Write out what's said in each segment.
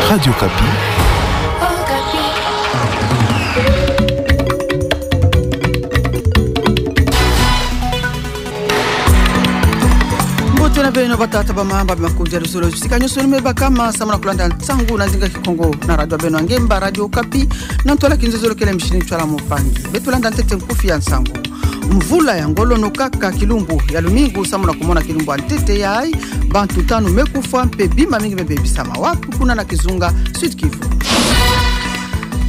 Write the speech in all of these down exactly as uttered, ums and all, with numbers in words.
Radio Okapi. Mbote na beno batata, bamama, bamakundi ya luzolo, bisika nyonso ni me bakama, samu na kulanda nsangu na nzinga Kikongo na radio ya beno ya ngemba, Radio Okapi, na ntwala kinzozolo kele mishini ntwala mpangi. Beto landa ntete nkufi ya nsangu. Mvula ya ngolo no kaka kilumbu ya lumingu samu na kumona kilumbu ya ntete yayi, bantu tanu me kufwa mpe bima mingi me bebisama wapi? Kuna na kizunga Sud-Kivu.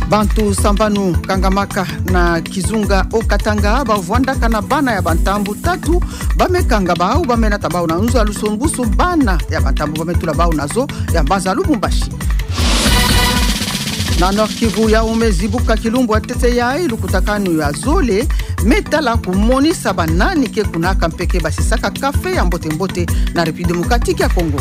Bantu sambanu kangamaka na kizunga Haut-Katanga, ba vwandaka na bana ya bantambu tatu, ba me kanga bau, ba me nata bau na nzo ya lusumbusu, bana ya bantambu ba me tula bau na zo ya mbanza Lubumbashi. Na Nord-Kivu, yawu me zibuka kilumbu ya ntete yayi lukutakanu ya zole me tala kumonisa banani ke kunaka mpe ke basisaka café ya mbote-mbote na République Démocratique ya Congo.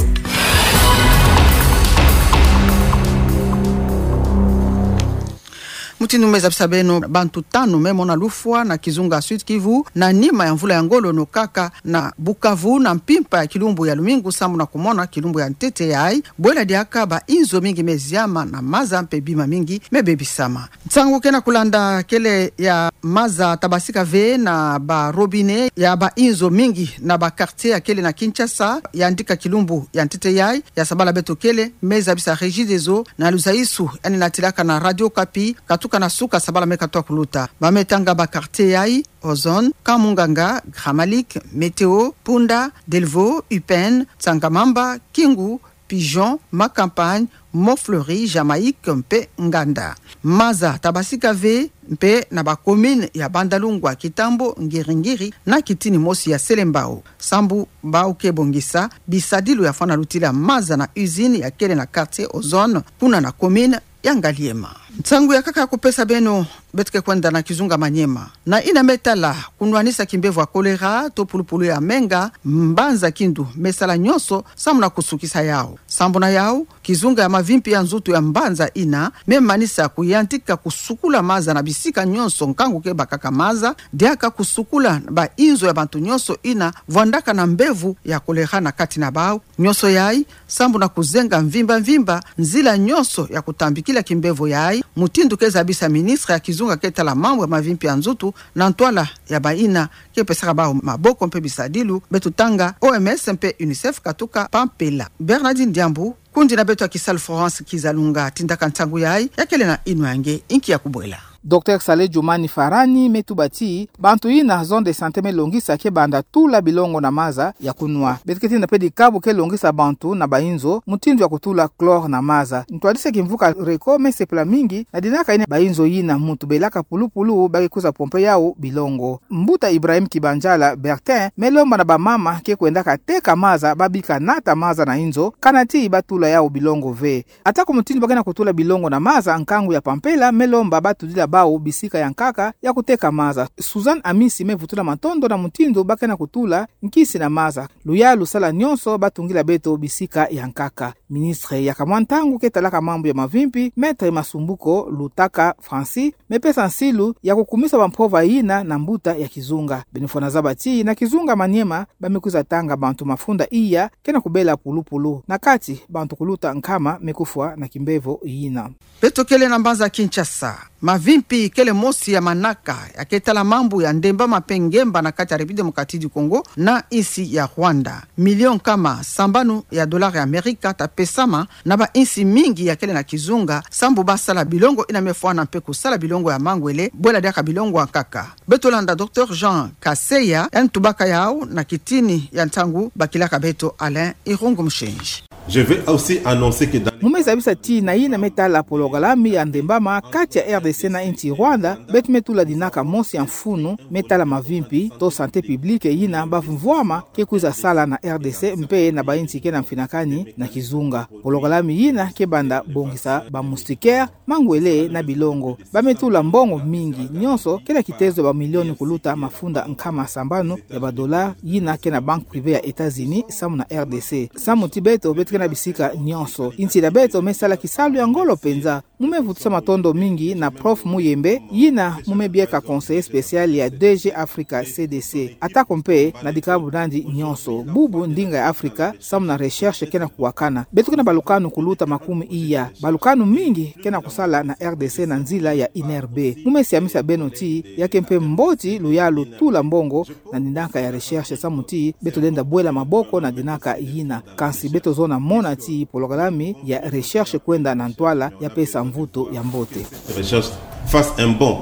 Mutindu me zabisa beno, bantu tanu me mona lufwa na kizunga Sud-Kivu na nima ya mvula ya ngolo no kaka na Bukavu na mpimpa ya kilumbu ya lumingu samu na kumona kilumbu ya ntete yayi, bwela diaka ba inzo mingi me ziama na maza mpe bima mingi me bebisama. Nsangu ke na kulanda kele ya maza tabasika ve na ba robinet ya ba inzo mingi na ba quartier ya kele na Kinshasa, yandika kilumbu ya ntete yayi, ya sabala beto kele me zabisa Regideso na luzaisu, yandi natilaka na Radio Okapi, katuka na suka sabala me katuka kuluta. Ba me tanga ba quartier yayi: Ozone, Camp Munganga, Gramalique, Météo, Punda, Delvaux, Upene, Tsangamamba, Kingu, Pigeon, Ma Campagne, Mont Fleuri, Jamaïque mpe Nganda. Maza tabasika ve mpe na ba commune ya Bandalungwa, Kitambo, Ngiri-Ngiri na Kitini mosi ya Selembao, sambu bau ke bongisa bisadilu ya fwana lutila maza na usine ya kele na quartier Ozone, kuna na commune ya Ngaliema. Nsangu ya nkaka ya kupesa beno, beto ke kwenda na kizunga Maniema. Na yina me tala kunwanisa kimbevo ya choléra to pulupulu ya menga, mbanza Kindu me sala nyonso samu na kusukisa yawu. Sambu na yawu, kizunga ya mavimpi ya nzutu ya mbanza yina me manisa kuyantika kusukula maza na bisika nyonso nkangu ke bakaka maza, diaka kusukula ba inzo ya bantu nyonso yina vwandaka na mbevo ya choléra na kati na bau. Nyonso yayi sambu na kuzenga mvimba-mvimba nzila nyonso ya kutambikila kimbevo yayi, mutindu ke zabisa ministre ya kizunga ke tala mambu ya mavimpi ya nzutu na ntwala ya bayina ke pesaka bau maboko mpe bisadilu. Beto tanga O M S mpe UNICEF katuka Pampelha. Bernardine Diambu, kundi na beto ya kisalu Florence Kizalunga, tindaka nsangu yayi, ya kele na yinwa ya nge, inki ya kubwela. Docteur Saleh Djoumani Farhani me tuba ti bantu yina zone de santé me longisa ke banda tula bilongo na maza ya kunwa. Beto ke tinda mpe dikabu ke longisa bantu na ba inzo mutindu ya kutula chlore na maza. Ntwadisi ya kimvuka Reco me sepela mingi na dinaka yina ba inzo yina muntu belaka pulupulu ba ke kwiza pomper yawu bilongo. Mbuta Ibrahim Kibanjala Bertin me lomba na bamama ke kwendaka teka maza ba bika nata maza na inzo, kana ti ba tula yawu bilongo ve. Atako mutindu ba ke na kutula bilongo na maza, nkangu ya Pampelha me lomba ba tudila bau bisika ya nkaka ya kuteka maza. Suzanne Amisi me vutula matondo na mutindu ba ke na kutula nkisi na maza. Luyalu sala nyonso ba tungila beto bisika ya nkaka. Ministre ya kamwa ntangu ke talaka mambu ya mavimpi, Maître Masumbuko Lutaka Francis, me pesa nsilu ya kukumisa bampova yina na mbuta ya kizunga. Beno fwana zaba ti na kizunga Maniema ba me kwiza tanga bantu mafunda iya ke na kubela pulupulu. Na kati, bantu kuluta nkama me kufwa na kimbevo yina. Beto kele na mbanza Kinshasa. Mavimpi kele mosi ya manaka ya ke tala mambu ya ndembama mpe ngemba na kati ya République Démocratique du Congo na insi ya Rwanda. Million nkama sambanu ya dollars ya Amerika ta pesama na ba insi mingi ya kele na kizunga, sambu ba sala bilongo yina me fwana mpe kusala bilongo ya mangwele, bwela diaka bilongo ya nkaka. Beto landa Docteur Jean Kaseya, yandi tubaka yawu na kitini ya ntangu bakilaka beto Alain Irungu Mushinji. Je vais aussi annoncer que dans les... Mu me zabisa ti na yina me tala pologalami ya ndembama kati ya R D C na insi Rwanda, beto me tula dinaka mosi ya mfunu me tala mavimpi to santé publique yina ba mvwama ke kwiza sala na R D C mpe na ba insi ke na mfinakani na kizunga. Pologalami yina ke banda bongisa ba moustiquaires, mangwele na bilongo. Ba me tula mbongo mingi, nyonso ke na kitezo ba milioni kuluta mafunda nkama sambanu ya ba dollars yina ke na banque privée ya États-Unis samu na R D C. Samu ti beto, beto ke na bisika nyonso. Insi ya beto me sala kisalu ya ngolo mpenza. Mu me vutusa matondo mingi na Prof Muyembe, yina mu me bieka conseiller spécial ya D G Africa C D C. Atako mpe na dikabu nandi nyonso, bubu ndinga ya Afrika samu na recherche ke na kuwakana. Beto ke na balukanu kuluta makumi iya. Balukanu mingi ke na kusala na R D C na nzila ya I N R B. Mu me siamisa beno ti, ya ke mpe mboti luyalu tula mbongo na dinaka ya recherche samu ti beto lenda bwela maboko na dinaka yina. Kansi beto zona mona ti pologalami ya recherche kwenda na ntwala ya pesa mvutu ya mbote. Recherche face un bon.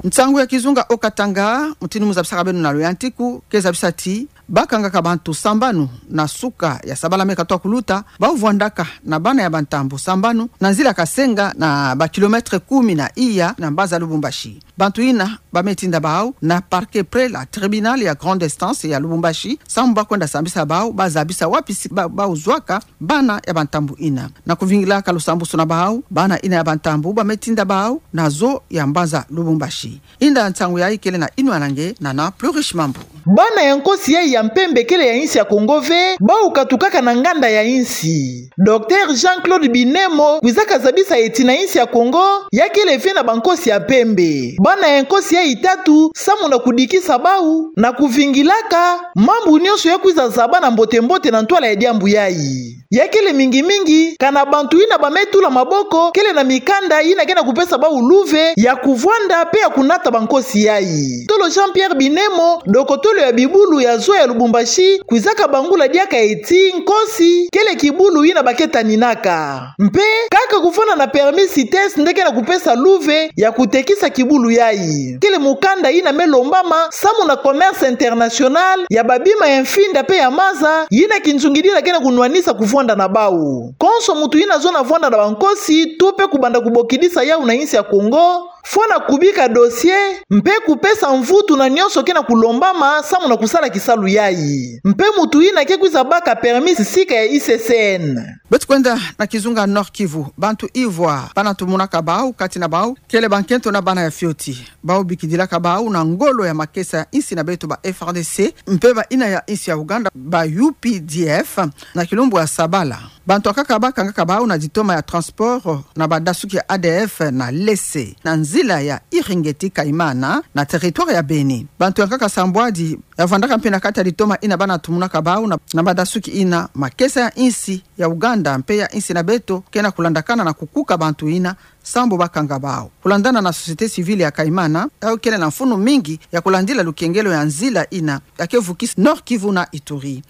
Nsangu ya kizunga au Katanga, mutindu mu zabisaka beno na luyantiku, ke zabisa ti, bakangaka bantu sambanu na suka ya sabala me katuka kuluta, bau vwandaka na bana ya bantambu sambanu, na nzila Kasenga na ba kilomètre kumi na iya na mbanza Lubumbashi. Bantu ina ba me tinda bau na parquet près la tribunal ya grande instance ya Lubumbashi, samu ba kwenda sambisa bau, ba zabisa wapi si ba, bau zwaka bana ya bantambu ina. Na kuvingilaka lusambusu na bau, bana ina ya bantambu ba me tinda bau na zo ya mbanza Lubumbashi. Inda nsangu yayi kele na inwananga na na Plurish Mambu. Bana ya nkosi yayi ya mpembe kele ya insi ya Kongo ve, bau katukaka na nganda ya insi. Docteur Jean-Claude Binemo kwizaka zabisa ti na insi ya Kongo, ya kele ve na bankosi ya mpembe. Bana ya nkosi yayi tatu, samu na kudikisa bau, na kuvingilaka mambu nyonso ya kwiza zaba na mbote-mbote na ntwala ya diambu yayi. Ya kele mingi-mingi, kana bantu ina ba me tula maboko, kele na mikanda ina ke na kupesa bau luve ya kuvwanda mpe ya kunata bankosi yayi. Tolo Jean-Pierre Binemo, dokotolo ya bibulu ya zo ya Lubumbashi, kwizaka bangula diaka ti nkosi kele kibulu ina ba ke taninaka. Mpe, kaka kuvwanda na permis CITES nde ke na kupesa luve ya kutekisa kibulu yayi. Kele mukanda ina me lombama samu na commerce international ya babima ya mfinda mpe ya maza, ina kinzungidi ina ke na kunwanisa kuvwanda na bau. Konso muntu ina zona vwanda na bankosi, to mpe kubanda kubokidisa yau na insi ya Kongo, fwana kubika dossier, mpe kupesa mvutu na nyonso ke na kulombama samu na kusala kisalu yayi. Mpe muntu ina ke kwiza baka permis sika ya I C C N. Beto kwenda na kizunga Nord-Kivu, bantu ivwa ba na tumunaka bau, kati na bau kele bankento na bana ya fioti. Bau bikidilaka bau na ngolo ya makesa ya insi na beto ba F A R D C, mpe ba ina ya insi ya Ouganda ba U P D F, na kilumbu ya sabala. Bantu akaka ba kangaka bau na ditoma ya transport na badasuki ya A D F na Lesse, na nzila ya Iringeti-Kaimana, na territoire ya Beni. Bantu ya nkaka sambwadi ya vwandaka mpe na kati ya ditoma ina ba na tumunaka bau na, na badasuki ina, makesa ya insi ya Ouganda mpe ya insi na beto ke na kulandakana na kukuka bantu ina, samu ba kanga bau. Kulandana na société civile ya Kaimana, yau kele na mfunu mingi ya kulandila lukengelo ya nzila ina ya ke vukisa Nord-Kivu na Ituri.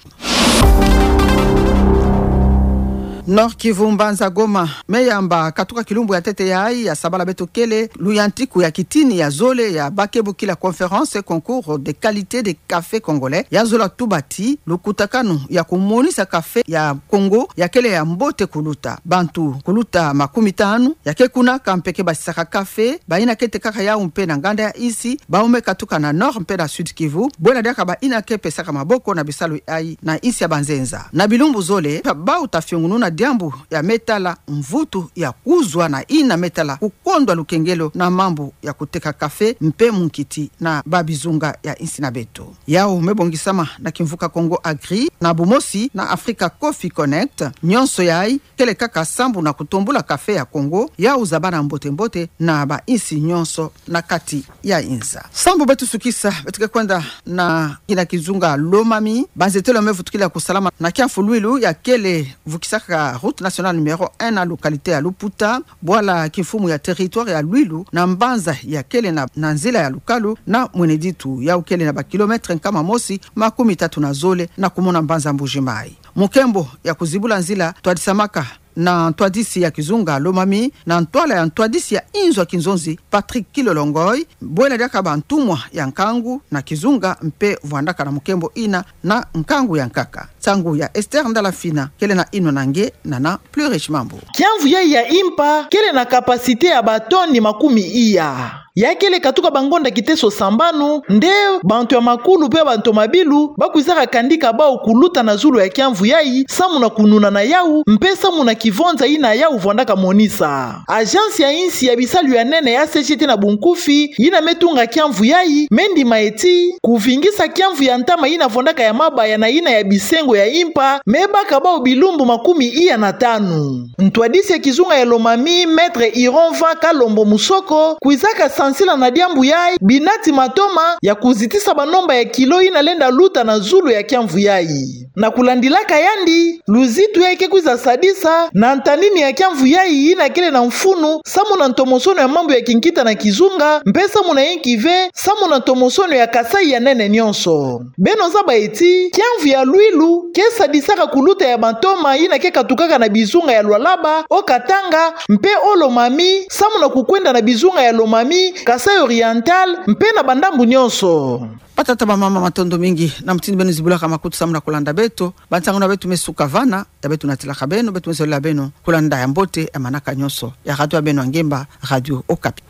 Nord-Kivu, mbanza Goma, me yamba katuka kilumbu ya ntete yayi ya sabala beto kele, luyantiku ya kitini ya zole ya ba ke bokila conférence concours de qualité de café congolais, ya zola tuba ti lukutakanu ya kumonisa café ya Congo ya kele ya mbote kuluta. Bantu kuluta makumitanu ya ke kuna, ka mpe ke basisaka café, ba ina ke tekaka yau mpe na nganda ya insi, bau me katuka na Nord mpe na Sud-Kivu, bwela diaka ba ina ke pesaka maboko na bisalu yayi na insi ya banzenza. Na bilumbu zole, bau ta fiongununa diambu ya me tala mvutu ya kuzwa na ina me tala kukondwa lukengelo na mambu ya kuteka café mpe munkiti na babizunga ya insi na beto. Yau me bongisama na kimvuka Congo Agri, na bumosi na Africa Coffee Connect, nyonso yayi kele kaka samu na kutombula café ya Congo, yau zabana mbote-mbote na ba insi nyonso na kati ya inza. Samu beto sukisa, beto ke kwenda na kina kizunga Lomami, banzetelo me vutukila kusalama na kiamfu Luilu ya kele vukisaka route nationale numéro un na localité ya Luputa, bwala kimfumu ya territoire ya Luilu, na mbanza ya kele na, na nzila ya Lukalu na Mwene Ditu, yau kele na ba kilomètre nkama mosi makumitatu na zole na kumona mbanza Mbuji-Mayi. Mukembo ya kuzibula nzila twadisamaka na ntwadisi ya kizunga Lomami, na ntwala ya ntwadisi ya inzo ya kinzonzi Patrick Kilolo Ngoy, bwela diaka ba ntumwa ya nkangu na kizunga mpe vwandaka na mukembo ina na nkangu ya nkaka. Nsangu ya Esther Ndala Fina, kele na inwananga na na Plurish Mambu. Kiamvu yayi ya Impa kele na capacité ya ba tonnes makumi iya. Ya kele katuka bangonda kiteso sambanu, nde bantu ya makulu mpe bantu mabilu ba kwizaka kandika bau kuluta na zulu ya kiamvu yayi, samu na kununa na yau, mpe samu na kivonza ina yau vwandaka monisa. Agence ya insi ya bisalu ya nene ya C G T na bunkufi, ina me tunga kiamvu yayi, me ndima ti kuvingisa kiamvu ya ntama ina vwandaka ya mabaya na ina ya bisengo ya Impa, me baka bau bilumbu makumi iya na tanu. Ntwadisi ya kizunga ya Lomami, Maître Ironva Kalombo Musoko, kwizaka Nsila na diambu yayi, binati matoma ya kuzitisa banomba ya kilo yina lenda luta na zulu ya kiamvu yayi. Na kulandilaka yandi, luzitu yayi ke kwiza sadisa na ntanini ya kiamvu yayi yina kele na mfunu, samu na ntomosono ya mambu ya kinkita na kizunga, mpe samu na yinki ve, samu na ntomosono ya Kasaï ya nene nyonso. Beno zaba ti, kiamvu ya Luilu ke sadisaka kuluta ya matoma yina ke katukaka na bizunga ya Lualaba, o Katanga, mpe o Lomami, samu na kukwenda na bizunga ya Lomami, Kasaï Oriental, mpe na bandambu nyonso. Batata, bamama, matondo mingi na mutindu beno zibulaka makutu samu na kulanda beto. Bansangu na beto me suka vana, ya beto natilaka beno, beto me zolela beno kulanda ya mbote ya manaka nyonso ya radio ya beno ya ngemba, Radio Okapi.